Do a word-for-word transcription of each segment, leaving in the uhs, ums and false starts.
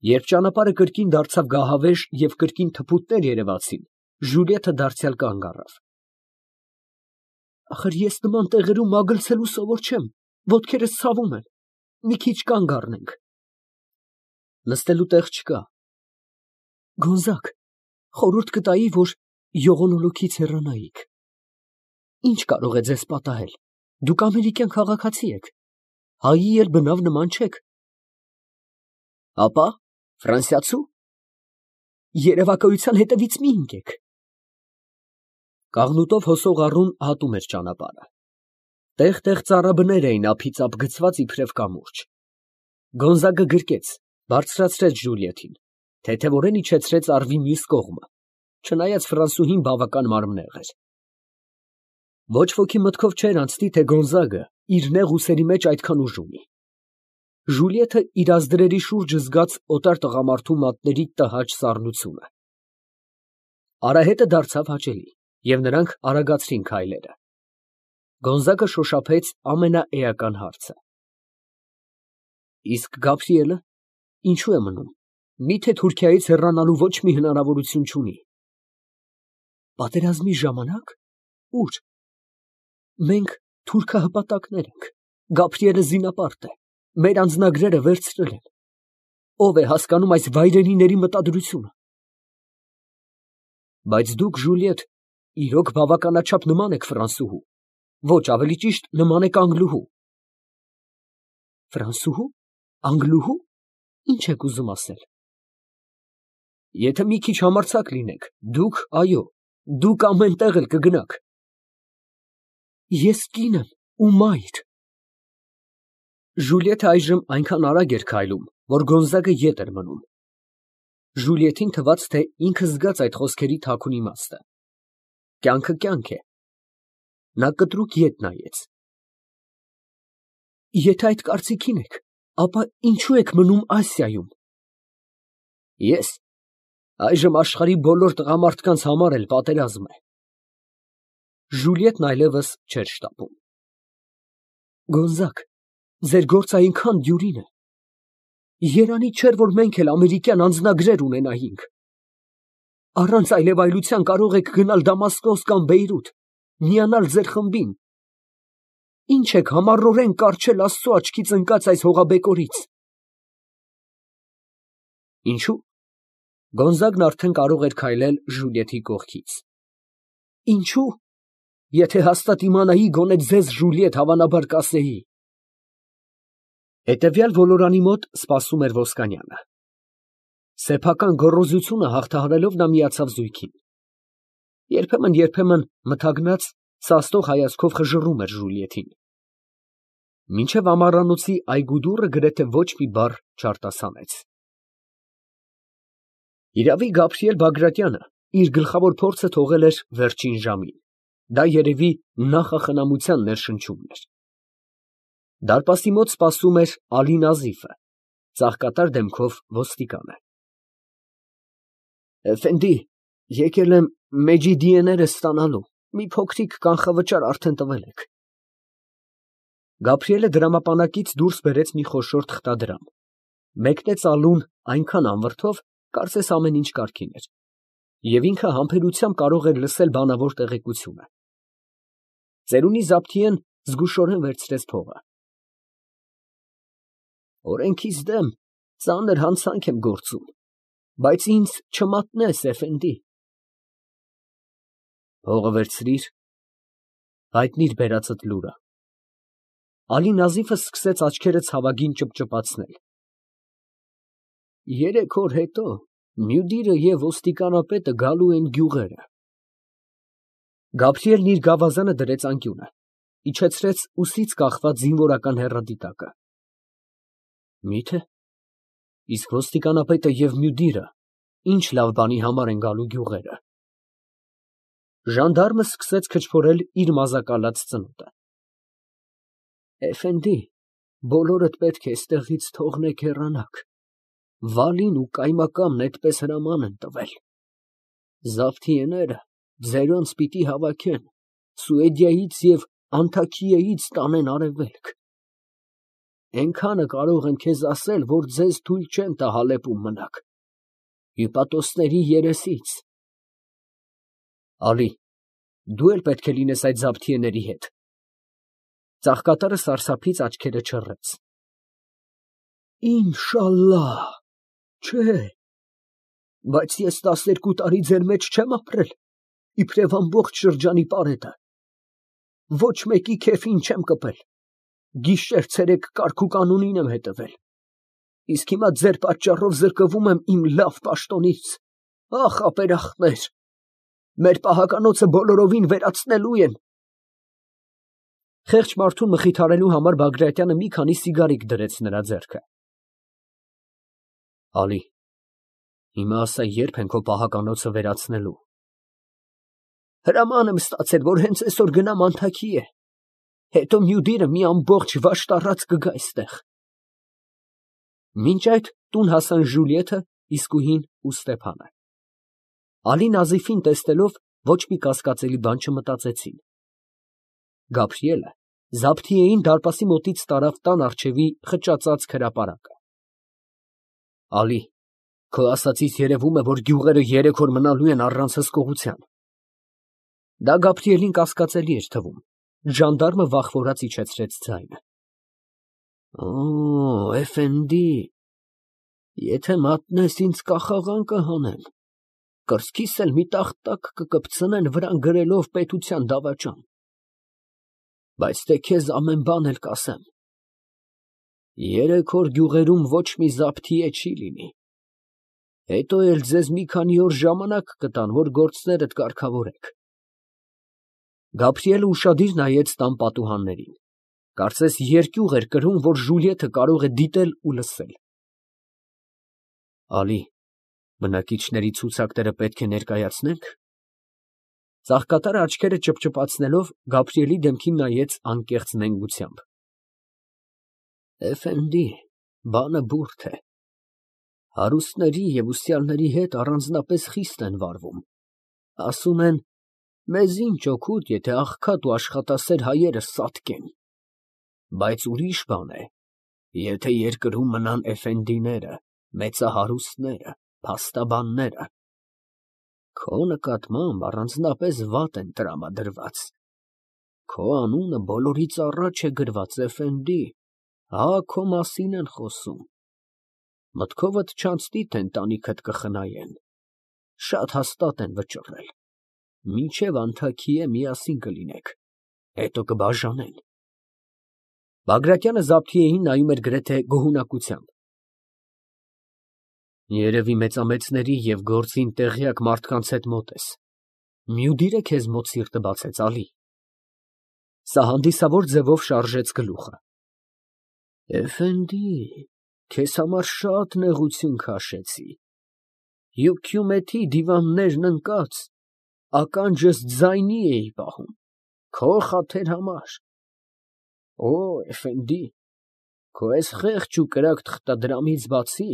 Երբ ճանապարհը կրկին դարձավ գահավեժ և կրկին թփուտներ երևացին, Ժուլիետը դարձյալ կանգ առավ։ Ախր ես նման տեղերում մագլցելու սովոր չեմ, ոտքերս ցավում են, մի քիչ կանգ առնենք։ Նստելու տեղ չկա։ Գոնզակ, խորհուրդ կտայի, որ ողորմոլուքից հեռանայիք։ Ինչ կարող է ձեզ պատահել, դուք ամերիկյան քաղաքացի եք, հայի էլ բնավ նման չեք։ Ապա, ֆրանսիացու։ Երևակայության հետևից մի ընկեք։ Կաղնուտով հոսող առուն հատում էր ճանապարհը։ Տեղ֊տեղ ծառաբներ էին ափիծապ գցված իբրև կամուրջ։ Գոնզագը գրկեց, բարձրացրեց Ժուլիետին, թեթևորեն իջեցրեց առվի մյուս կողմը, չնայած ֆրանսուհին բավական մարմնեղ էր։ Ոչ ոքի մտքով չէր անցնի, թե Գոնզագը իր նեղ ուսերի մեջ այդքան ուժ ունի։ Ժուլիետը իր ազդրերի շուրջը զգաց օտար տղամարդու մատների տհաճ սառնությունը։ Արահետը դարձավ հաճելի, և նրանք արագացրին քայլերը։ Գոնզագը շոշափեց ամենաէական հարցը. Իսկ Գաբրիելը ինչու է մնում, միթե Թուրքիայից հեռանալու ոչ մի հնարավորություն չունի։ Պատերազմի ժամանակ, ուր։ Մենք թուրքահպատակներ ենք, Գաբրիելը զինապարտ է, մեր անձնագրերը վերցրել են։ Ո՞վ է հասկանում այս վայրենիների մտադրությունը։ Բայց դուք, Ժուլիետ, իրոք բավականաչափ նման եք ֆրանսուհու, ոչ, ավելի ճիշտ, նման եք անգլուհու։ Ֆրանսուհու, անգլուհու, ինչ եք ուզում ասել։ Եթե մի քիչ համարձակ լինեք, դուք, այո, դուք ամեն տեղ էլ կգնաք։ Ես կին եմ ու մայր։ Ժուլիետը այժմ այնքան արագ էր քայլում, որ Գոնզագը ետ էր մնում։ Ժուլիետին թվաց, թե ինքը զգաց այդ խոսքերի թաքուն իմաստը։ Կյանքը կյանք է։ Նա կտրուկ ետ նայեց։ Եթե այդ կարծիքին եք, ապա ինչու եք մնում Ասիայում։ Ես այժմ աշխարհի բոլոր տղամարդկանց համար էլ պատերազմ է։ Ժուլիետն այլևս չէր շտապում։ Գոնզակ, ձեր գործը այնքան դյուրին է։ Երանի չէր, որ մենք էլ ամերիկյան անձնագրեր ունենայինք։ Առանց այլևայլության կարող եք գնալ Դամասկոս կամ Բեյրութ, միանալ ձեր խմբին։ Ինչ եք համառորեն կառչել Աստծու աչքից ընկած այս հողաբեկորից։ Ինչու՞։ Գոնզագն արդեն կարող էր քայլել Ժուլիետի կողքից։ Ինչու՞։ Եթե հաստատ իմանայի, գոնե ձեզ, Ժուլիետ, հավանաբար կասեի։ Հետևյալ ոլորանի մոտ սպասում էր Ոսկանյանը։ Սեփական գոռոզությունը հաղթահարելով նա միացավ զույգին։ Երբեմն֊երբեմն մթագնած, սաստող հայացքով խժռում էր Ժուլիետին։ Մինչև ամառանոցի այգու դուռը գրեթե ոչ մի բառ չարտասանեց։ Իրավի Գաբրիել Բագրատյանը իր գլխավոր փորձը թողել էր վերջին ժամին։ Դա երևի նախախնամության ներշնչումն էր։ Դարպասի մոտ սպասում էր Ալի Նազիֆը, ծաղկատար դեմքով ոստիկանը։ Էֆենդի, եկել եմ Մեջիդիեները ստանալու, մի փոքրիկ կանխավճար արդեն տվել եք։ Գաբրիելը դրամապանակից դուրս բերեց մի խոշոր թղթադրամ, մեկնեց Ալուն այնքան անվրդով, կարծես ամեն ինչ կարգին էր, և ինքը համբերությամբ կարող էր լսել բանավոր տեղեկությունը։ Ծերունի Զաբթիեն զգուշորեն վերցրեց փողը։ Օրենքից դեմ ծանր հանցանք եմ գործում, բայց ինձ չմատնես, Էֆենդի։ Փողը վերցրիր, հայտնիր բերածդ լուրը։ Ալի Նազիֆը սկսեց աչքերը ցավագին ճպճպացնել։ Երեք օր հետո Մյուդիրը և ոստիկանապետը գալու են գյուղերը։ Գաբրիելն իր գավազանը դրեց անկյունը, իջեցրեց ուսից կախված զինվորական հեռադիտակը։ Մի՞թե։ Իսկ ոստիկանապետը և Մյուդիրը ինչ լավ բանի համար են գալու գյուղերը։ Ժանդարմը սկսեց քչփորել իր մազակալած ծնոտը։ Էֆենդի, բոլորդ պետք է այստեղից թողնեք հեռանաք։ Վալին ու կայմակամն այդպես հրաման են տվել։ Զավթիեները ձերոնց պիտի հավաքեն, Սուեդիայից և Անթաքիայից տանեն արևելք։ Էնքանը կարող եմ քեզ ասել, որ ձեզ թույլ չեն տա Հալեպում մնաք, հյուպատոսների երեսից։ Ալի, դու էլ պետք է լինես այդ զաբթիեների հետ։ Ծաղկատարը սարսափից աչքերը չռեց։ Ինշալլահ, չէ, բայց ես տասներկու տարի ձեր մեջ չեմ ապրել, իբրև ամբողջ շրջանի պարետը, ոչ մեկի քեֆին չեմ կպել, գիշեր ցերեկ կարգ ու կանոնին եմ հետևել, իսկ հիմա ձեր պատճառով զրկվում եմ իմ լավ պաշտոնից, ախ ապերախտներ, մեր պահականոցը բոլորովին վերացնելու են։ Խեղճ մարդուն մխիթարելու համար Բագրատյանը մի քանի սիգարիկ դրեց նրա ձեռքը։ Ալի, հիմա ասա, երբ են քո պահականոցը վերացնելու։ Հրաման եմ ստացել, որ հենց այսօր գնամ Անթաքիե, հետո Մյուդիրը մի ամբողջ վաշտառած կգա այստեղ։ Մինչ այդ տուն հասան Ժուլիեթը, Իսկուհին ու Ստեփանը։ Ալին Ազիֆին տեսնելով ոչ մի կասկածելի բան չմտածեցին։ Գաբրիելը զաբթիեին դարպասի մոտից տարավ տան առջևի խճածած հրապարակը։ Ալի, քո ասածից երևում է, որ գյուղերը երեք օր մնալու են առանց հսկողության։ Դա Գաբրիելին կասկածելի էր թվում։ Ժանդարմը վախվորած իջեցրեց ձայնը։ Օ, էֆենդի, եթե մատնես ինձ կախաղան կհանեն, կրծքիս էլ մի տախտակ կկպցնեն վրան գրելով պետության դավաճան։ Բայց թե քեզ ամեն բան էլ կասեմ։ Երեք օր գյուղերում ոչ մի զաբթիե չի լինի։ Հետո էլ ձեզ մի քանի օր ժամանակ կտան, որ գործներդ կարգավորեք։ Գաբրիելը ուշադիր նայեց տան պատուհաններին։ Կարծես երկյուղ էր կրում, որ Ժուլիեթը կարող է դիտել ու լսել։ Ալի, բնակիչների ցուցակները պետք է ներկայացնենք։ Ծաղկատարը աչքերը ճպճպացնելով Գաբրիելի դեմքին նայեց անկեղծ նենգությամբ։ Էֆենդի, բանը բուրդ է։ Հարուստների և ուսյալների հետ առանձնապես խիստ են վարվում։ Ասում են, մեզ ինչ օգուտ, եթե աղքատ ու աշխատասեր հայերը սատկեն։ Բայց ուրիշ բան է, եթե երկրում մնան էֆենդիները, մեծահարուստները, փաստաբանները։ Քո նկատմամբ առանձնապես վատ են տրամադրված։ Քո անունը բոլորից առաջ է գրված, էֆենդի, հա քո մասին են խոսում։ Մտքովդ չանցնի, թե ընտանիքդ կխնայեն։ Շատ հաստատ են վճռել։ Մինչև Անթաքիե միասին կլինեք, հետո կբաժանեն։ Բագրատյանը զաբթիեին նայում էր գրեթե գոհունակությամբ։ Երևի մեծամեծների և գործին տեղյակ մարդկանց հետ մոտ ես։ Մյուդիրը քեզ մոտ սիրտը բացեց, Ալի։ Սա հանդիսավոր ձևով շարժեց գլուխը։ Էֆենդի, քեզ համար շատ նեղություն քաշեցի։ Հյուքյումեթի դիվաններն ընկած, ականջս ձայնի էի պահում, քո խաթեր համար։ Օ, էֆենդի, քո այս խեղճ ու կրակ թղթադրամից բացի,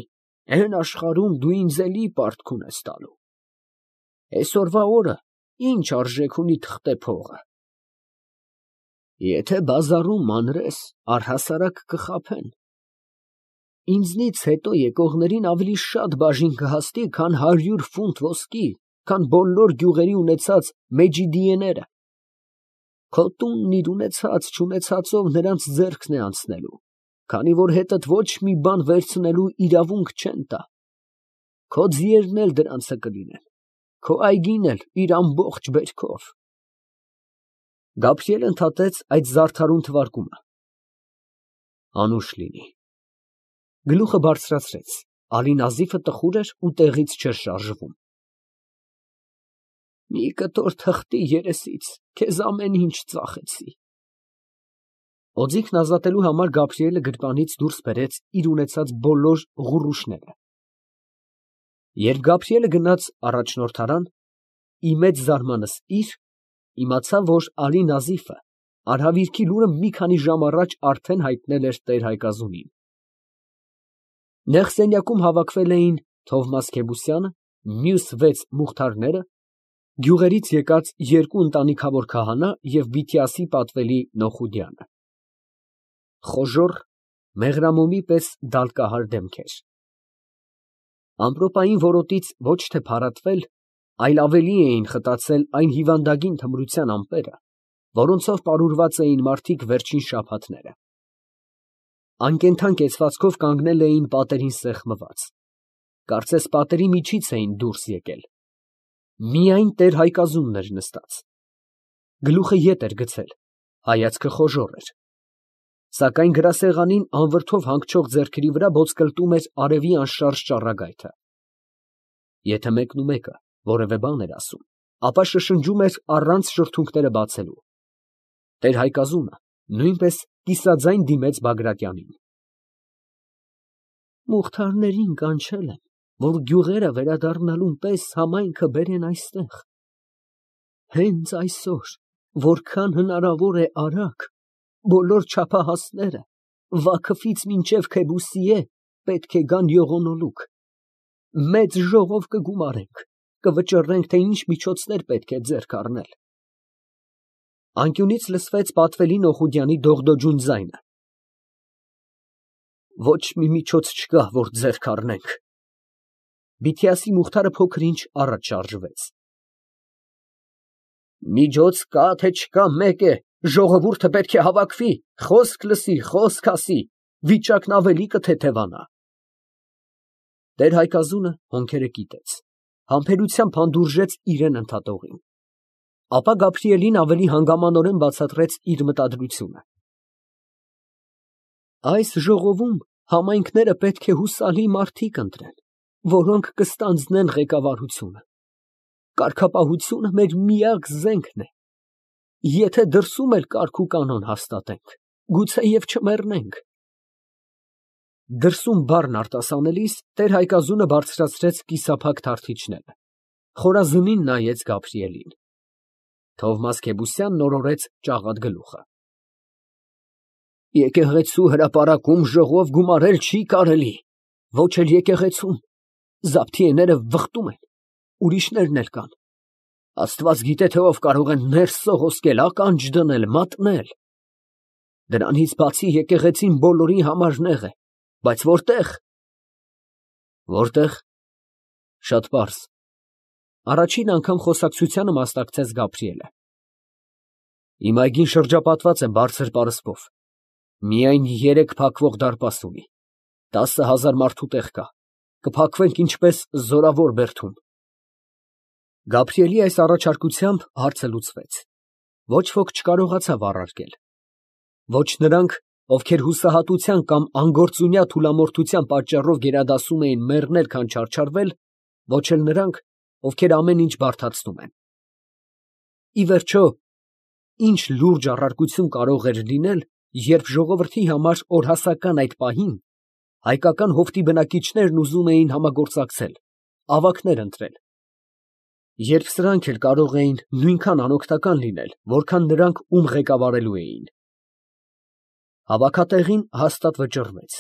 այն աշխարհում դու ինձ էլի պարտք ունես տալու։ Այսօրվա օրը ինչ արժեք ունի թղթե փողը։ Եթե բազարում մանրես, առհասարակ կխաբեն։ Ինձնից հետո եկողներին ավելի շատ բաժին կհասնի, քան հարյուր ֆունտ ոսկի, քան բոլոր գյուղերի ունեցած մեջիդիեները։ Քո տունն իր ունեցած չունեցածով նրանց ձեռքն է անցնելու, քանի որ հետդ ոչ մի բան վերցնելու իրավունք չեն տա։ Քո ձիերն էլ դրանցը կլինեն, քո այգին էլ իր ամբողջ բերքով։ Գաբրիելը ընդհատեց այդ զարդարուն թվարկումը։ Անուշ լինի։ Գլուխը բարձրացրեց, Ալին Ազիֆը տխուր էր ու տեղից չէր շարժվում։ Մի կտոր թղթի երեսից քեզ ամեն ինչ ծախեցի։ Օձիքն ազատելու համար Գաբրիելը գրպանից դուրս բերեց իր ունեցած բոլոր ղուռուշները։ Երբ Գաբրիելը գնաց առաջնորդարան, ի մեծ զարմանս իր, իմացավ, որ Ալի Նազիֆը արհավիրքի լուրը մի քանի ժամ առաջ արդեն հայտնել էր տեր֊հայկազունին։ Նեղ սենյակում հավաքվել էին Թովմաս Քեբուսյանը, մյուս վեց մուղթարները, գյուղերից եկած երկու ընտանիքավոր քահանա և Բիթիասի պատվելի Նոխուդյանը։ Խոժոռ, մեղրամոմի պես դալկահար դեմքեր։ Ամպրոպային որոտից ոչ թե փարատվել, այլ ավելի էին խտացել այն հիվանդագին թմրության ամպերը, որոնցով պարուրված էին մարդիկ վերջին շաբաթները։ Անկենդան կեցվածքով կանգնել էին պատերին սեղմված, կարծես պատերի միջից էին դուրս եկել։ Միայն տեր Հայկազունն էր նստած, գլուխը ետ էր գցել, հայացքը խոժոռ էր, սակայն գրասեղանին անվրդով հանգչող ձեռքերի վրա ոտկլտում էր արևի անշարժ ճառագայթը։ Եթե մեկնումեկը որևէ բան էր ասում, ապա շշնջում էր առանց շրթունքները բացելու։ Տեր Հայկազունը նույնպես կիսաձայն դիմեց Բագրատյանին։ Մուղթարներին կանչել եմ, որ գյուղերը վերադառնալուն պես համայնքը բերեն այստեղ։ Հենց այսօր, որքան հնարավոր է արագ, բոլոր չափահասները Վաքոֆից մինչև Քեբուսիե պետք է գան յողոնոլուկ։ Մեծ ժողով կգումարենք, կվճռենք, թե ինչ միջոցներ պետք է ձեռք առնել։ Անկյունից լսվեց պատվելի Նոխուդյանի դողդոջուն ձայնը։ Ոչ մի միջոց չկա, որ ձեռք առնենք։ Բիթիասի մուղթարը փոքր-ինչ առաջ շարժվեց։ Միջոց կա, թե չկա, մեկ է, ժողովուրդը պետք է հավաքվի, խոսք լսի, խոսք ասի, վիճակն ավելի կթեթևանա։ Տեր Հայկազունը հոնքերը կիտեց, համբերությամբ հանդուրժեց իրան ընդհատողին։ Ապա Գաբրիելին ավելի հանգամանորեն բացատրեց իր մտադրությունը։ Այս ժողովում համայնքները պետք է հուսալի մարդիկ ընտրեն, որոնք կստանձնեն ղեկավարությունը։ Կարգապահությունը մեր միակ զենքն է։ Եթե դրսում էլ կարգ ու կանոն հաստատենք, գուցեև չմեռնենք։ Դրսում բառն արտասանելիս տեր Հայկազունը բարձրացրեց կիսափակ թարթիչները, խորազնին նայեց Գաբրիելին։ Թովմաս Քեբուսյանն օրորեց ճաղատ գլուխը։ Եկեղեցու հրապարակում ժողով գումարել չի կարելի, ոչ էլ եկեղեցում, զաբթիեները վխտում են, ուրիշներն էլ կան։ Աստված գիտե, թե ով կարող է ներս սողոսկել, ականջ դնել, մատնել։ Դրանից բացի եկեղեցին բոլորի համար նեղ է, բայց որտեղ։ Որտեղ։ Շատ պարզ։ Առաջին անգամ խոսակցությանը մասնակցեց Գաբրիելը։ Իմ այգին շրջապատված է բարձր պարսպով, միայն երեք փակվող դարպաս ունի, տասը հազար մարդու տեղ կա, կփակվենք ինչպես զորավոր բերդում։ Գաբրիելի այս առաջարկությամբ հարցը լուծվեց, ոչ ոք չկարողացավ առարկել, ոչ նրանք, ովքեր հուսահատության կամ անգործունյա թուլամորթության պատճառով գերադասում էին մեռնել, քան չարչարվել, ոչ էլ նրանք, ովքեր ամեն ինչ բարդացնում են։ Ի վերջո, ինչ լուրջ առարկություն կարող էր լինել, երբ ժողովրդի համար օրհասական այդ պահին հայկական հովտի բնակիչներն ուզում էին համագործակցել, ավագներ ընտրել, երբ սրանք էլ կարող էին նույնքան անօգնական լինել, որքան նրանք, ում ղեկավարելու էին։ Հավաքատեղին հաստատ վճռվեց,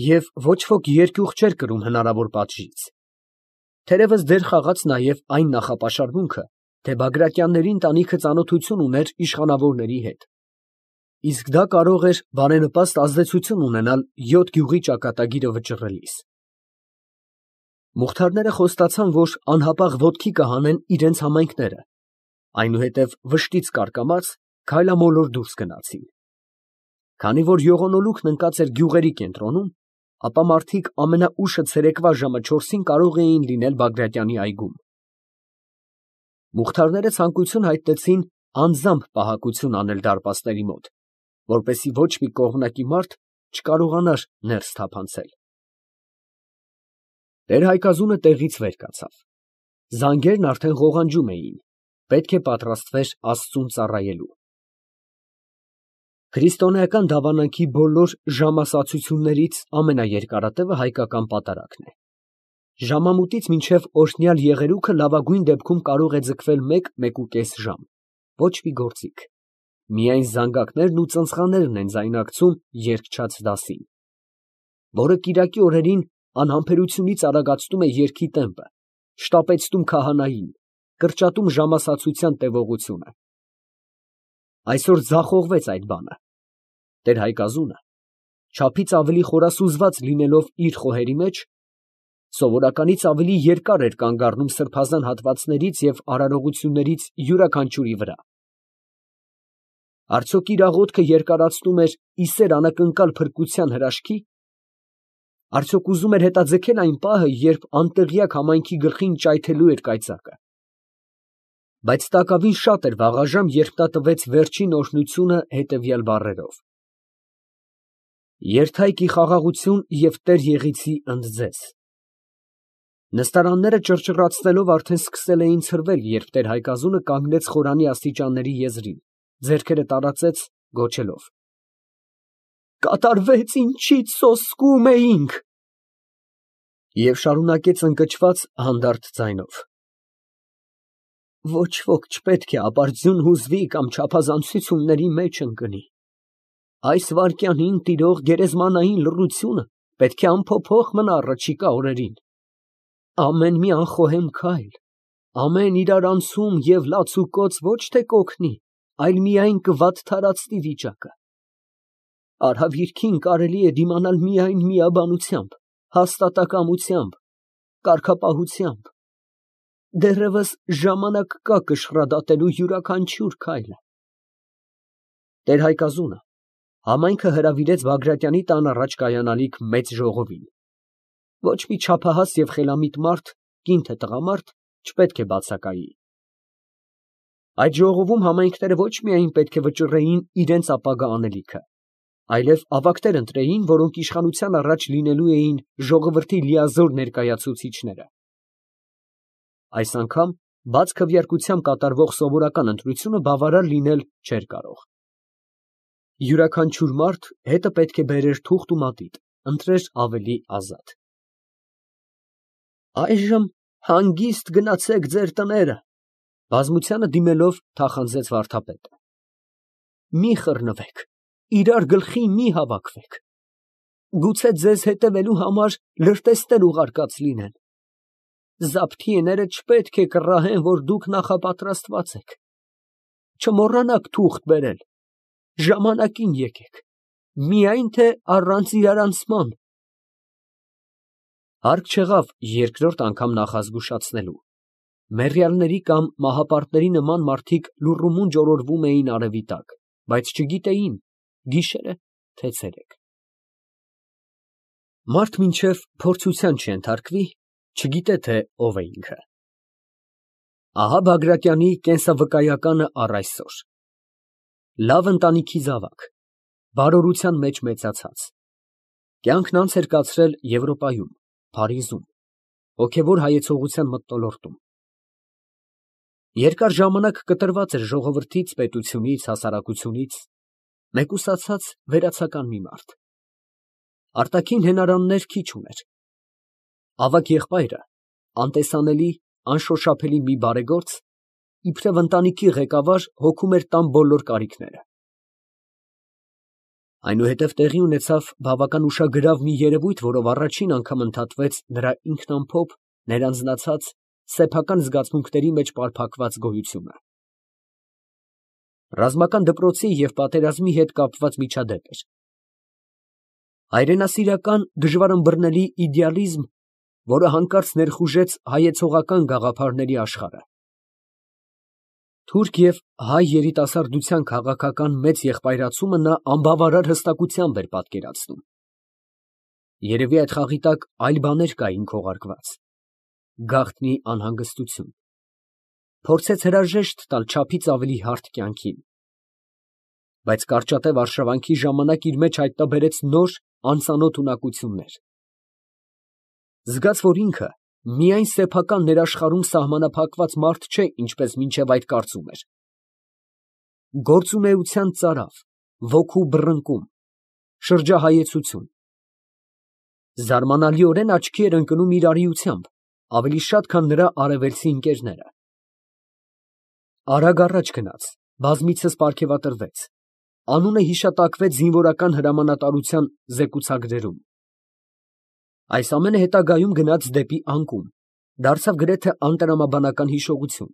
և ոչ ոք երկյուղ չէր կրում հնարավոր պատժից։ Թերևս դեր խաղաց նաև այն նախապաշարմունքը, թե Բագրատյանների ընտանիքը ծանոթություն ուներ իշխանավորների հետ, իսկ դա կարող էր բարենպաստ ազդեցություն ունենալ յոթ գյուղի ճակատագիրը վճռելիս։ Մուղթարները խոստացան, որ անհապաղ ոտքի կհանեն իրենց համայնքները, այնուհետև վշտից կարկամած քայլամոլոր դուրս գնացին։ Քանի որ յողոնոլուկն ընկած էր գյուղերի կենտրոնում, ապա մարդիկ ամենաուշը ցերեկվա ժամը չորսին կարող էին լինել Բագրատյանի այգում։ Մուղթարները ցանկություն հայտնեցին անձամբ պահակություն անել դարպասների մոտ, որպեսզի ոչ մի կողմնակի մարդ չկարողանար ներս թափանցել։ Տեր Հայկազունը տեղից վեր կացավ։ Զանգերն արդեն ղողանջում էին, պետք է պատրաստվեր Աստծուն ծառայելու։ Քրիստոնեական դավանանքի բոլոր ժամասացություններից ամենաերկարատևը հայկական պատարագն է։ Ժամամուտից մինչև օրհնյալ եղերուկը լավագույն դեպքում կարող է ձգվել մեկ, մեկուկես ժամ, ոչ մի գործիք, միայն զանգակներն ու ծնծղաներն են ձայնարկցում երգչաց դասին, որը կիրակի օրերին անհամբերությունից արագացնում է երգի տեմպը, շտապեցնում քահանային, կրճատում ժամասացության տևողությունը։ Այսօր ձախողվեց այդ բանը։ Տեր Հայկազունը չափից ավելի խորասուզված լինելով իր խոհերի մեջ, սովորականից ավելի երկար էր կանգ առնում սրբազան հատվածներից և արարողություններից յուրաքանչյուրի վրա։ Արդյոք իր աղոթքը երկարացնում էր ի սեր անակնկալ փրկության հրաշքի։ Արդյոք ուզում էր հետաձգել այն պահը, երբ անտեղյակ համայնքի գլխին ճայթելու էր կայծակը։ Բայց տակավին շատ էր վաղաժամ, երբ նա տվեց վերջին օրհնությունը հետևյալ բառերով. «Երթայք ի խաղաղություն և Տեր Եղիցի ընդ ձեզ»։ Նստարանները ճռճռացնելով արդեն սկսել էին ցրվել, երբ տեր֊Հայկազունը կանգնեց խորանի աստիճանների եզրին, ձեռքերը տարածեց, գոչելով. «Կատարվեց, ինչից սոսկում էինք» և շարունակեց ընկճված հանդարտ ձայնով. «Ոչ ոք չպետք է ապարդյուն հուզվի կամ չափազանցությունների մեջ ընկնի. այս վայրկյանին տիրող գերեզմանային լռությունը պետք է անփոփոխ մնա առաջիկա օրերին. ամեն մի անխոհեմ քայլ, ամեն իրարանցում և լացուկոծ ոչ թե կօգնի, այլ միայն կվատթարացնի վիճակը. արհավիրքին կարելի է դիմանալ միայն միաբանությամբ, հաստատակամությամբ, կարգապահությամբ. դեռևս ժամանակ կա կշռադատելու յուրաքանչյուր քայլը»։ Տեր֊Հայկազունը համայնքը հրավիրեց Բագրատյանի տան առաջ կայանալիք մեծ ժողովին։ Ոչ մի չափահաս և խելամիտ մարդ, կին թե տղամարդ, չպետք է բացակայի։ Այդ ժողովում համայնքները ոչ միայն պետք է վճռեին իրենց ապագա անելիքը, այլև ավագներ ընտրեին, որոնք իշխանության առաջ լինելու էին ժողովրդի լիազոր ներկայացուցիչները։ Այս անգամ բաց քվեարկությամբ կատարվող սովորական ընտրությունը բավարար լինել չէր կարող։ Յուրաքանչյուր մարդ հետը պետք է բերեր թուղթ ու մատիտ, ընտրեր ավելի ազատ։ «Այժմ հանգիստ գնացեք ձեր տները», բազմությանը դիմելով թախանձեց վարդապետը։ «Մի խռնվեք, իրար գլխի մի հավաքվեք. գուցե ձեզ հետևելու համար լրտեսներ ուղարկած լինեն. զաբթիեները չպետք է կռահեն, որ դուք նախապատրաստված եք. չմոռանաք թուղթ բերել, ժամանակին եկեք, միայն թե առանց իրարանցման»։ Հարկ չեղավ երկրորդ անգամ նախազգուշացնելու. մեռյալների կամ մահապարտների նման մարդիկ լուռումունջ օրորվում էին արևի տակ, բայց չգիտեին գիշեր է, թե ցերեկ։ Մարդ մինչև փորձության չենթարկվի, չգիտե, թե ով է ինքը։ Ահա Բագրատյանի կենսավկայականը առ այսօր. լավ ընտանիքի զավակ, բարորության մեջ մեծացած, կյանքն անց էր կացրել Եվրոպայում, Փարիզում, հոգևոր հայեցողության մթնոլորտում։ Երկար ժամանակ կտրված էր ժողովրդից, պետությունից, հասարակությունից, մեկուսացած վերացական մի մարդ։ Արտաքին հենարաններ քիչ ուներ։ Ավագ եղբայրը, անտեսանելի, անշոշափելի մի բարեգործ, իբրև ընտանիքի ղեկավար, հոգում էր տան բոլոր կարիքները։ Այնուհետև տեղի ունեցավ բավական ուշագրավ մի երևույթ, որով առաջին անգամ ընդհատվեց նրա ինքնամփոփ, ներանձնացած, սեփական զգացմունքների մեջ պարփակված գոյությունը։ Ռազմական դպրոցի և պատերազմի հետ կապված միջադեպ էր։ Հայրենասիրական, դժվարըմբռնելի իդեալիզմ, որը հանկարծ ներխուժեց հայեցողական գաղափարների աշխարհը։ Թուրք և հայ երիտասարդության քաղաքական մեծ եղբայրացումը նա անբավարար հստակությամբ էր պատկերացնում։ Երևի այդ խաղի տակ այլ բաներ կային քողարկված։ Գաղտնի անհանգստություն։ Փորձեց հրաժեշտ տալ չափից ավելի հարթ կյանքին։ Բայց կարճատև արշավանքի ժամանակ իր մեջ հայտնաբերեց նոր, անծանոթ ունակություններ։ Զգաց, որ ինքը միայն սեփական ներաշխարհում սահմանափակված մարդ չէ, ինչպես մինչև այդ կարծում էր։ Գործունեության ծարավ, ոգու բռնկում, շրջահայեցություն։ Զարմանալիորեն աչքի էր ընկնում իր արիությամբ, ավելի շատ, քան նրա արևելցի ընկերները։ Արագ առաջ գնաց, բազմիցս պարգևատրվեց, անունը հիշատակվեց զինվորական հրամանատարության զեկուցագրերում։ Այս ամենը հետագայում գնաց դեպի անկում, դարձավ գրեթե անտրամաբանական հիշողություն,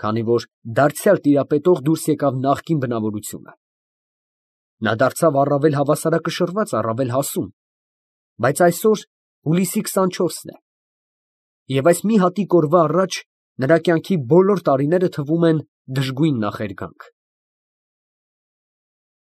քանի որ դարձյալ տիրապետող դուրս եկավ նախկին բնավորությունը։ Նա դարձավ առավել հավասարակշռված, առավել հասուն, բայց այսօր հուլիսի քսանչորսն է, և այս մի հատիկ օրվա առաջ նրա կյանքի բոլոր տարիները թվում են դժգույն նախերգանք։